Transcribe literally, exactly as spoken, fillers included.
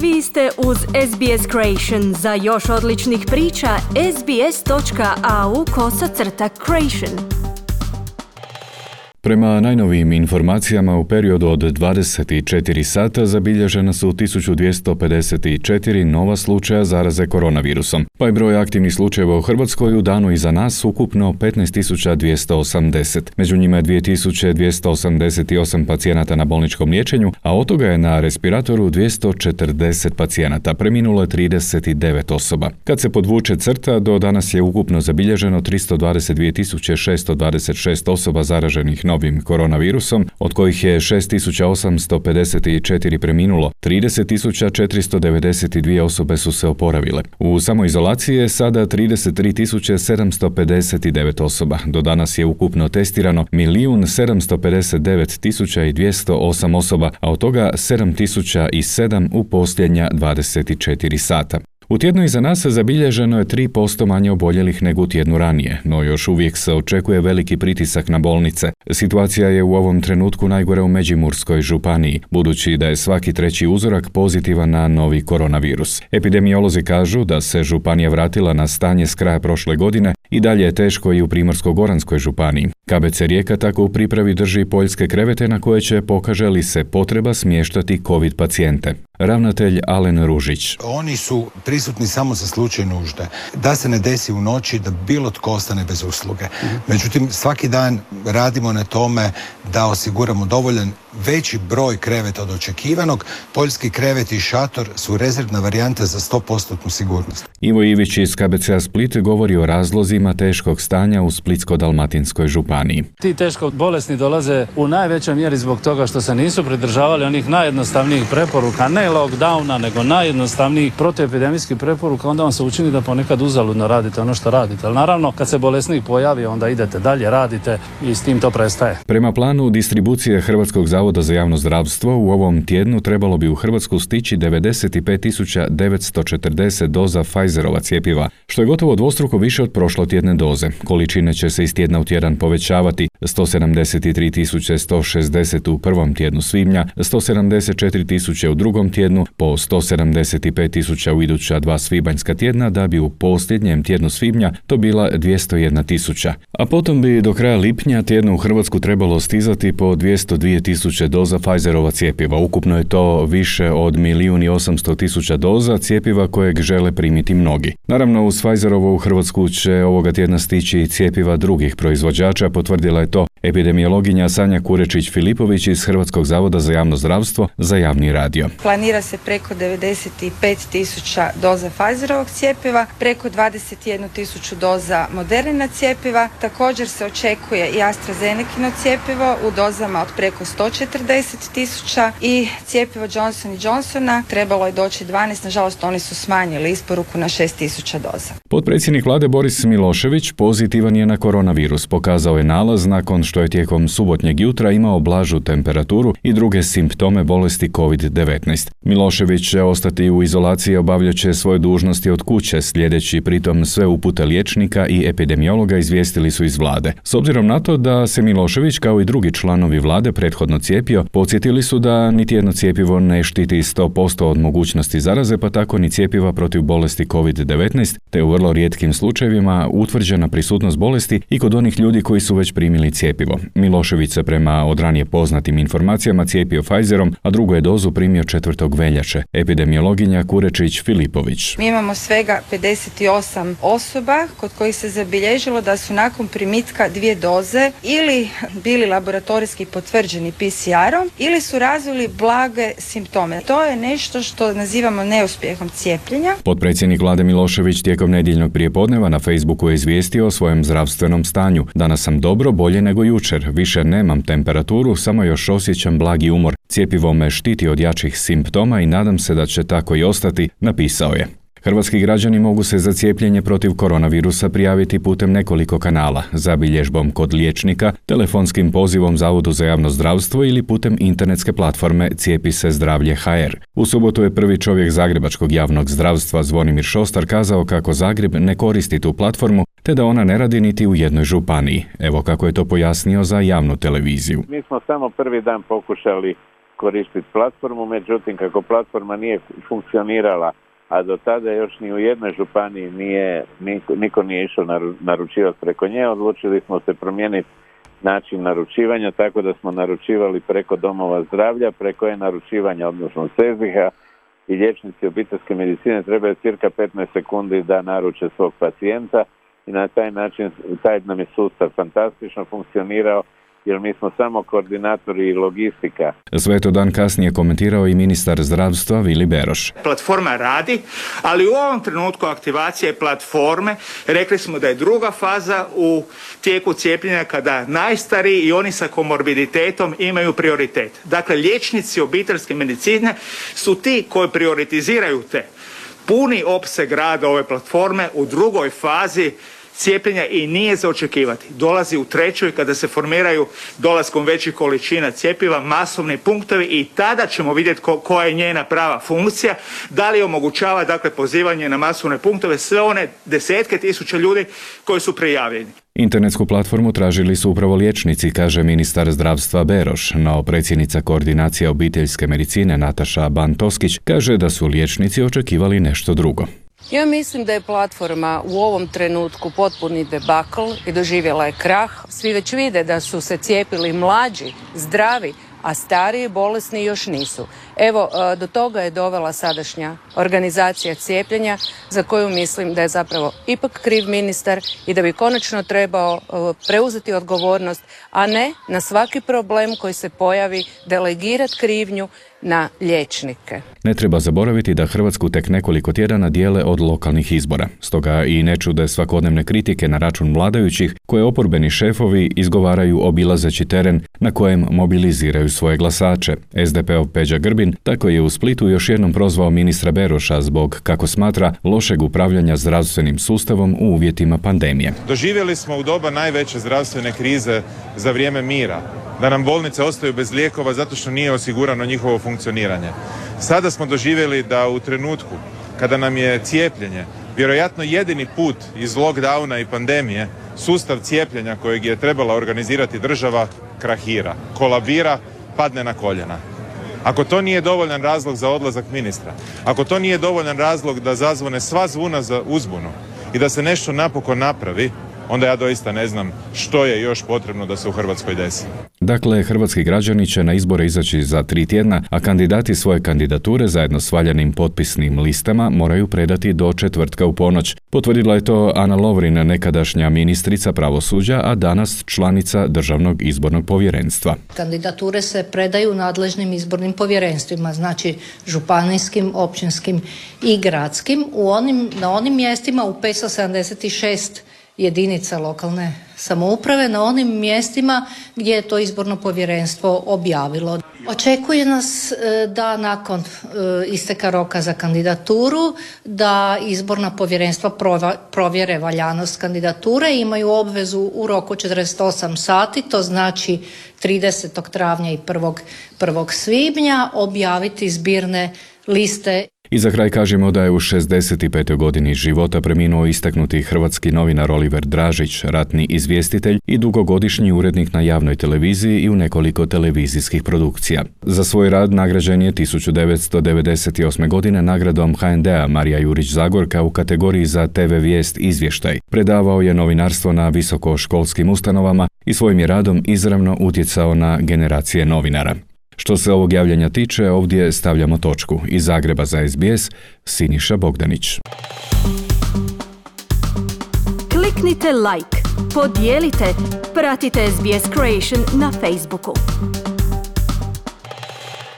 Vi ste uz S B S Creation. Za još odličnih priča, sbs.au kosacrta creation. Prema najnovijim informacijama, u periodu od dvadeset četiri sata zabilježena su tisuću dvjesto pedeset četiri nova slučaja zaraze koronavirusom, pa je broj aktivnih slučajeva u Hrvatskoj u danu iza nas ukupno petnaest tisuća dvjesto osamdeset. Među njima je dvije tisuće dvjesto osamdeset osam pacijenata na bolničkom liječenju, a od toga je na respiratoru dvjesto četrdeset pacijenata, preminulo je trideset devet osoba. Kad se podvuče crta, do danas je ukupno zabilježeno tristo dvadeset dvije tisuće šesto dvadeset šest osoba zaraženih novim koronavirusom, od kojih je šest tisuća osamsto pedeset četiri preminulo, trideset tisuća četiristo devedeset dvije osobe su se oporavile. U samoizolaciji je sada trideset tri tisuće sedamsto pedeset devet osoba. Do danas je ukupno testirano milijun sedamsto pedeset devet tisuća dvjesto osam osoba, a od toga sedam tisuća sedam u posljednja dvadeset četiri sata. U tjednu iza nas zabilježeno je tri posto manje oboljelih nego u tjednu ranije, no još uvijek se očekuje veliki pritisak na bolnice. Situacija je u ovom trenutku najgore u Međimurskoj županiji, budući da je svaki treći uzorak pozitivan na novi koronavirus. Epidemiolozi kažu da se županija vratila na stanje s kraja prošle godine i dalje je teško i u Primorsko-goranskoj županiji. K B C Rijeka tako u pripravi drži poljske krevete na koje će, pokaže li se potreba, smještati COVID pacijente. Ravnatelj Alen Ružić. Oni su prisutni samo za slučaj nužde. Da se ne desi u noći da bilo tko ostane bez usluge. Međutim, svaki dan radimo na tome da osiguramo dovoljan veći broj kreveta od očekivanog. Poljski krevet i šator su rezervna varijanta za sto posto sigurnost. Ivo Ivić iz K B C-a Split govori o razlozima teškog stanja u Splitsko-dalmatinskoj županiji. Ti teško bolesni dolaze u najvećoj mjeri zbog toga što se nisu pridržavali onih najjednostavnijih preporuka, ne lockdowna, nego najjednostavnijih protuepidemijskih preporuka. Onda vam se učini da ponekad uzaludno radite ono što radite. Ali naravno, kad se bolesnik pojavi, onda idete dalje, radite i s tim to prestaje. Prema planu distribucije Hrvatskog zavoda za javno zdravstvo, u ovom tjednu trebalo bi u Hrvatsku stići devedeset pet tisuća devetsto četrdeset doza Pfizerova cjepiva, što je gotovo dvostruko više od prošlotjedne doze. Količine će se iz tjedna u tjedan povećavati: sto sedamdeset tri tisuće sto šezdeset u prvom tjednu svibnja, sto sedamdeset četiri tisuće u drugom tjednu, po sto sedamdeset pet tisuća u iduća dva svibanjska tjedna, da bi u posljednjem tjednu svibnja to bila dvjesto jedna tisuća. A potom bi do kraja lipnja tjedna u Hrvatsku trebalo stizati po dvjesto dvije tisuće doza Pfizerova cjepiva. Ukupno je to više od milijun i osamsto tisuća doza cjepiva kojeg žele primiti mnogi. Naravno, uz Pfizerovo u Hrvatsku će ovoga tjedna stići i cjepiva drugih proizvođača, potvrdila je to epidemiologinja Sanja Kurečić-Filipović iz Hrvatskog zavoda za javno zdravstvo za javni radio. Planira se preko devedeset pet tisuća doza Pfizerovog cjepiva, preko dvadeset jednu tisuću doza Modernina cjepiva. Također se očekuje i AstraZenecino cjepivo u dozama od preko sto četrdeset tisuća i cjepivo Johnson and Johnsona trebalo je doći dvanaest, nažalost oni su smanjili isporuku na šest tisuća doza. Potpredsjednik vlade Boris Milošević pozitivan je na koronavirus. Pokazao je nalaz nakon što je tijekom subotnjeg jutra imao blažu temperaturu i druge simptome bolesti covid devetnaest. Milošević će ostati u izolaciji i obavljat će svoje dužnosti od kuće, slijedeći pritom sve upute liječnika i epidemiologa, izvijestili su iz vlade. S obzirom na to da se Milošević kao i drugi članovi vlade prethodno cijepio, podsjetili su da niti jedno cjepivo ne štiti sto posto od mogućnosti zaraze, pa tako ni cjepiva protiv bolesti covid devetnaest, te u vrlo rijetkim slučajevima utvrđena prisutnost bolesti i kod onih ljudi koji su već primili cjepivo. Milošević se prema od ranije poznatim informacijama cijepio Pfizerom, a drugu je dozu primio četvrtog veljače. Epidemiologinja Kurečić-Filipović. Mi imamo svega pedeset osam osoba kod kojih se zabilježilo da su nakon primitka dvije doze ili bili laboratorijski potvrđeni P C R-om ili su razvili blage simptome. To je nešto što nazivamo neuspjehom cijepljenja. Potpredsjednik vlade Milošević tijekom nedjeljnog prijepodneva na Facebooku je izvijestio o svojem zdravstvenom stanju. Danas sam dobro, bolje nego jučer. Više nemam temperaturu, samo još osjećam blagi umor. Cjepivo me štiti od jačih simptoma i nadam se da će tako i ostati, napisao je. Hrvatski građani mogu se za cijepljenje protiv koronavirusa prijaviti putem nekoliko kanala, zabilježbom kod liječnika, telefonskim pozivom Zavodu za javno zdravstvo ili putem internetske platforme Cijepi se zdravlje ha er. U subotu je prvi čovjek Zagrebačkog javnog zdravstva Zvonimir Šostar kazao kako Zagreb ne koristi tu platformu, te da ona ne radi niti u jednoj županiji. Evo kako je to pojasnio za javnu televiziju. Mi smo samo prvi dan pokušali koristiti platformu, međutim kako platforma nije funkcionirala, a do tada još ni u jednoj županiji nije, niko, niko nije išao naručivati preko nje, odlučili smo se promijeniti način naručivanja, tako da smo naručivali preko domova zdravlja, preko e-naručivanja, odnosno Seziha, i liječnici obiteljske medicine trebaju cirka petnaest sekundi da naruče svog pacijenta i na taj način, taj nam je sustav fantastično funkcionirao, jer mi smo samo koordinatori i logistika. Sve to dan kasnije komentirao i ministar zdravstva Vili Beroš. Platforma radi, ali u ovom trenutku aktivacije platforme rekli smo da je druga faza u tijeku cijepljenja kada najstariji i oni sa komorbiditetom imaju prioritet. Dakle, liječnici obiteljske medicine su ti koji prioritiziraju te. Puni opseg rada ove platforme u drugoj fazi cijepljenja i nije za očekivati. Dolazi u trećoj kada se formiraju dolaskom većih količina cjepiva masovni punktovi i tada ćemo vidjeti ko, koja je njena prava funkcija, da li omogućava dakle pozivanje na masovne punktove sve one desetke tisuća ljudi koji su prijavljeni. Internetsku platformu tražili su upravo liječnici, kaže ministar zdravstva Beroš, no predsjednica koordinacije obiteljske medicine Nataša Ban-Toskić kaže da su liječnici očekivali nešto drugo. Ja mislim da je platforma u ovom trenutku potpuni debakl i doživjela je krah. Svi već vide da su se cijepili mlađi, zdravi, a stariji i bolesni još nisu. Evo, do toga je dovela sadašnja organizacija cijepljenja za koju mislim da je zapravo ipak kriv ministar i da bi konačno trebao preuzeti odgovornost, a ne na svaki problem koji se pojavi delegirati krivnju na liječnike. Ne treba zaboraviti da Hrvatsku tek nekoliko tjedana dijele od lokalnih izbora. Stoga i ne čude svakodnevne kritike na račun vladajućih koje oporbeni šefovi izgovaraju obilazeći teren na kojem mobiliziraju svoje glasače. es de pe ov Peđa Grbin tako je u Splitu još jednom prozvao ministra Beroša zbog, kako smatra, lošeg upravljanja zdravstvenim sustavom u uvjetima pandemije. Doživjeli smo u doba najveće zdravstvene krize za vrijeme mira da nam bolnice ostaju bez lijekova zato što nije osigurano njihovo funkcioniranje. Sada smo doživjeli da u trenutku kada nam je cijepljenje vjerojatno jedini put iz lockdowna i pandemije, sustav cijepljenja kojeg je trebala organizirati država krahira, kolabira, padne na koljena. Ako to nije dovoljan razlog za odlazak ministra, ako to nije dovoljan razlog da zazvone sva zvuna za uzbunu i da se nešto napokon napravi, onda ja doista ne znam što je još potrebno da se u Hrvatskoj desi. Dakle, hrvatski građani će na izbore izaći za tri tjedna, a kandidati svoje kandidature zajedno s valjanim potpisnim listama moraju predati do četvrtka u ponoć. Potvrdila je to Ana Lovrin, nekadašnja ministrica pravosuđa, a danas članica Državnog izbornog povjerenstva. Kandidature se predaju nadležnim izbornim povjerenstvima, znači županijskim, općinskim i gradskim, u onim, na onim mjestima u petsto sedamdeset šest jedinica lokalne samouprave, na onim mjestima gdje je to izborno povjerenstvo objavilo. Očekuje nas da nakon isteka roka za kandidaturu da izborna povjerenstva provjere valjanost kandidature, imaju obvezu u roku četrdeset osam sati, to znači tridesetog travnja i prvog svibnja objaviti zbirne liste. I za kraj kažemo da je u šezdeset petoj godini života preminuo istaknuti hrvatski novinar Oliver Dražić, ratni izvjestitelj i dugogodišnji urednik na javnoj televiziji i u nekoliko televizijskih produkcija. Za svoj rad nagrađen je tisuću devetsto devedeset osme. godine nagradom ha en de a Marija Jurić Zagorka u kategoriji za te ve vijest izvještaj. Predavao je novinarstvo na visokoškolskim ustanovama i svojim je radom izravno utjecao na generacije novinara. Što se ovog javljanja tiče, ovdje stavljamo točku. Iz Zagreba za es be es, Siniša Bogdanić. Kliknite like, podijelite, pratite es be es Creation na Facebooku.